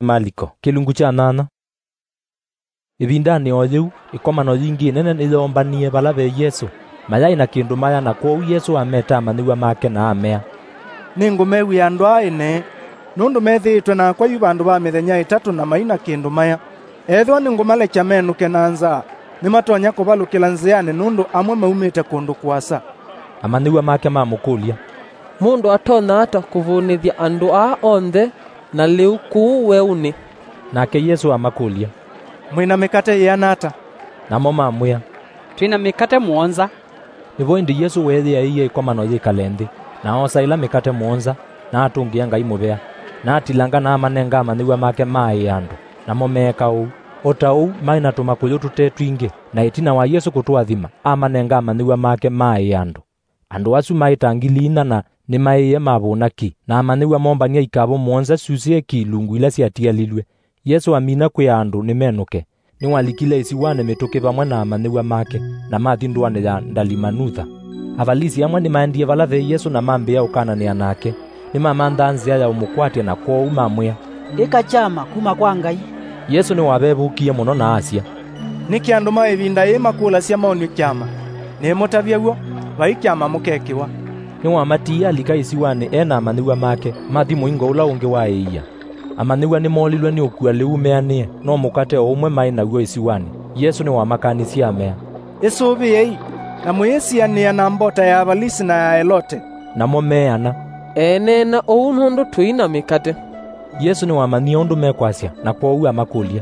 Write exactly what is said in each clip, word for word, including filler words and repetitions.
Maliko, kĩlungu kya nyanya. Ĩvindanĩ o yĩu, ĩkomano yingĩ ĩnene nĩyoombanie vala ve Yesũ. Mayaĩ na kĩndũ maya, na kwoou Yesũ ameta amanyĩw'a make na amea, "Nĩngũmew'ĩa andũ aa ene, nũndũ methĩĩtwe nakwa yu vandũ va mĩthenya ĩtatũ na mai na kĩndũ maya. Ethĩwa nĩngũmalekya menũke na nzaa, nĩmatonya kũvalũkĩla nzĩanĩ, nũndũ amwe maumĩte kũndũ kũasa." Amanyĩw'a make mamũkũlya, "Mũndũ atonya ata kũvũnĩthya andũ aa onthe na lĩu kũu weũnĩ?" Nake Yesũ amakũlya, "Mwĩ na mĩkate yĩana ata?" Namo mamwĩa, "Twĩ na mĩkate mũonza." Nĩvo ĩndĩ Yesũ weeyĩaĩie ĩkomano yĩkale nthĩ, na oosa ĩla mĩkate mũonza, na atũngĩa Ngai mũvea, na atilanga na amanenga amanyĩw'a make maaĩe andũ, namo meeka ũu. O ta ũu, maĩ na tũmakũyũ tũte twingĩ, na ĩtina wa Yesũ kũtũathima, amanenga amanyĩw'a make maaĩe andũ. Andũ asu maĩ ta ngili inya, na nĩmaĩĩe mavũna ki, na amanyĩw'a moombany'a ikavũ mũonza syusĩe ki ilungu ila syatialilw'e. Yesũ amina kwĩa andũ nĩmenũke, nĩwalikile ĩsiwanĩ mĩtũkĩ vamwe na amanyĩw'a make, na mathi ndũanĩ ya Ndalimanutha. Avalisi amwe nĩmaendie vala ve Yesũ na mambĩĩa ũkananĩa nake. Nĩmamanthaa nzĩa ya ũmũkwatya, na kwoou mamwĩa, "Ĩka kyama kuma kwa Ngai." Yesũ nĩwavevũkie mũno na asya, "Nĩkĩ andũ ma ĩvinda yĩĩ makũlasya maonw'e kyama? Nĩmũtavya w'o, vai kyama mũkekĩwa." Nĩwamatiie alika ĩsiwanĩ e na amanyĩw'a make, mathi mũingo ũla ũngĩ wa ĩia. Amanyĩw'a nĩmoolilwe nĩ ũkua lĩu meanĩe, no mũkate o ũmwe maĩ naw'o ĩsiwanĩ. Yesũ nĩwamakanisye amea, "Ĩsũvĩei, na mũyĩsianĩa na mbota ya Avalisi na ya Elote." Namo meana, "Eeneena ũu nũndũ tũi na mĩkate." Yesũ nĩwamanyie ũndũ mekwasya, na kwoou amakũlya,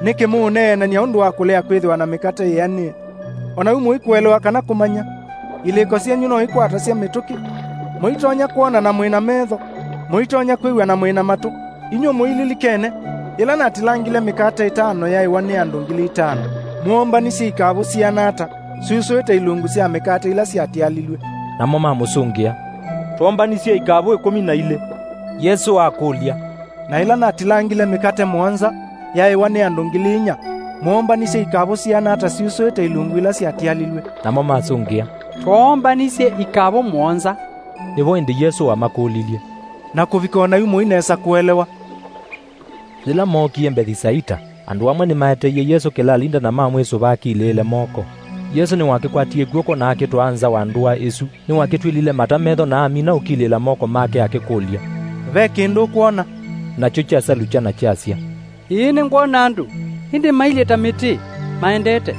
"Nĩkĩ mũũneenany'a ũndũ wa kũlea kwĩthĩwa na mĩkate yĩanĩe? O na yu mũikũelewa kana kũmanya? Ilĩko syenyu no ikwatasya mĩtũkĩ? Mũitonya kwona na mwĩ na metho? Mũitonya kwĩw'a na mwĩ na matũ? Inyw'ĩ mũililikene, yĩla natilangile mĩkate ĩtano yaĩwa nĩ andũ ngili itano, mwoombanisye ikavũ siana ata, syusũĩte ilungu sya mĩkate ila syatialilw'e?" Namo mamũsũngĩa, "Twoombanisye ikavũ ĩkũmi na ilĩ." Yesũ akũlya, "Na ĩla natilangile mĩkate mũonza yaĩwa nĩ andũ ngili inya, mwoombanisye ikavũ siana ata syusũĩte ilungu ila syatialilw'e?" Namo masũngĩa, "Twoombanisye ikavũ mũonza." Nĩvo ĩndĩ Yesũ amakũlilye, "Na kũvika o na yu mũi nesa kũelewa?" Yĩla mookie Mbethisaita, andũ amwe nĩmaeteie Yesũ kĩlalinda na mamwĩsũva akilĩĩle moko. Yesũ nĩwakĩkwatie kw'oko na akĩtwaa nza wa ndũa ĩsu. Nĩwakĩtw'ĩlile mata metho na amina ũkilĩĩla moko make akĩkũlya, "Ve kĩndũ ũkwona?" Nakyo kyasalukya na kyasya, "Ĩĩ, nĩngwona andũ, ĩndĩ mailyĩ ta mĩtĩ, maendete."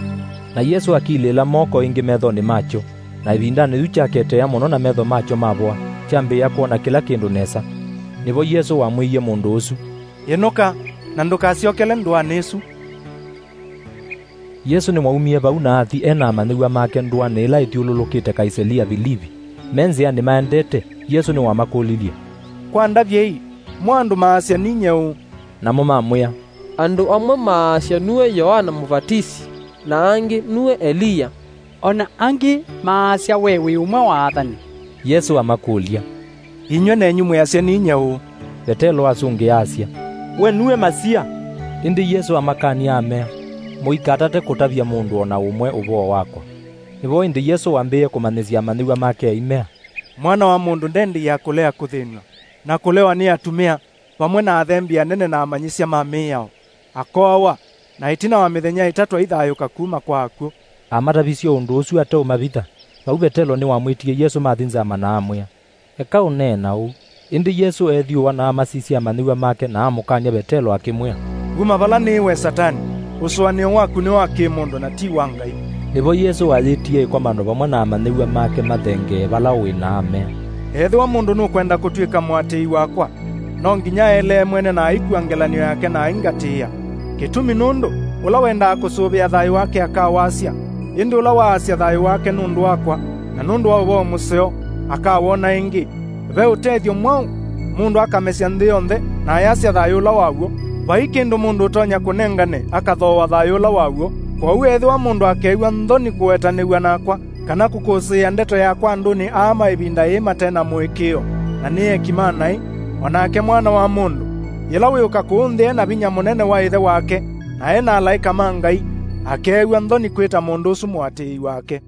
Na Yesũ akilĩĩla moko ĩngĩ methonĩ makyo, na ĩvindanĩ yu kyaketea mũno na metho makyo mavoa, kyambĩĩa kwona kĩla kĩndũ nesa. Nĩvo Yesũ wamwĩie mũndũ ũsu, "Ĩnũka, na ndũkasyokele ndũanĩ ĩsu." Yesũ nĩwaumie vau na athi e na amanyĩw'a make ndũanĩ ĩla ĩthyũlũlũkĩte Kaisalia Vilivi. Me nzĩanĩ maendete, Yesũ nĩwamakũlilye, "Kwa ndavyei, mo andũ maasya ninyie ũũ?" Namo mamwĩa, "Andũ amwe maasya nue Yoana Mũvatisi, na angĩ nue Eliya, o na angĩ maasya we wĩ ũmwe wa athani." Yesũ amakũlya, "Inyw'ĩ nenyu mwĩasya ninyie ũũ?" Vetelo asũngĩa asya, "We nue Masia." Ĩndĩ Yesũ amakany'a amea, "Mũikatate kũtavya mũndũ o na ũmwe ũvoo wakwa." Nĩvo ĩndĩ Yesũ wambĩĩe kũmanyĩsya amanyĩw'a make aimea, "Mwana wa mũndũ ndendeea kũlea kũthĩnw'a, na kũlewa nĩ atumĩa, vamwe na athembi anene na amanyĩsya ma mĩao, akoawa, na ĩtina wa mĩthenya ĩtatũ aithayũka kuma kwa akw'ũ." Amatavisye ũndũ ũsu ateũmavitha, vau Vetelo nĩwamwĩtie Yesũ mathi nzama na amwĩa, "Eka ũneena ũu." Ĩndĩ Yesũ eethyũũa na amasisya amanyĩw'a make na amũkany'a Vetelo akĩmwĩa, "Uma vala nĩĩ we Satani! Ũsũanĩo waku nĩ wa kĩ-mũndũ na ti wa Ngai." Nĩvo Yesũ ayĩtie ĩkomano vamwe na amanyĩw'a make mathengee vala ũĩ na amea, "Ethĩwa mũndũ nũkwenda kũtw'ĩka mũatĩĩi wakwa, no nginya aelee mwene na aikw'a ngelany'o yake na aingatĩĩa. Kĩtumi nũndũ, ũla wendaa kũsũvĩa thayũ wake akawasya, ĩndĩ ũla waasya thayũ wake nũndũ wakwa na nũndũ wa ũvoo mũseo akawona ĩngĩ. Ve ũtethyo mwaũ mũndũ akamesya nthĩ yonthe na ayasya thayũ ũla waw'o? Vai kĩndũ mũndũ ũtonya kũnengane akathooa thayũ ũla waw'o. Kwoou ethĩwa mũndũ akew'a nthoni kũwetanĩw'a nakwa, kana kũkũsĩĩa ndeto yakwa andũnĩ aa ma ĩvinda yĩĩ mate na mũĩkĩĩo, na nĩ eki ma naĩ, o nake Mwana wa Mũndũ, yĩla wĩũka kũũ nthĩ e na vinya mũnene wa Ĩthe wake, na e na alaĩka ma Ngai, akeew'a nthoni kwĩta mũndũ ũsu mũatĩĩi wake."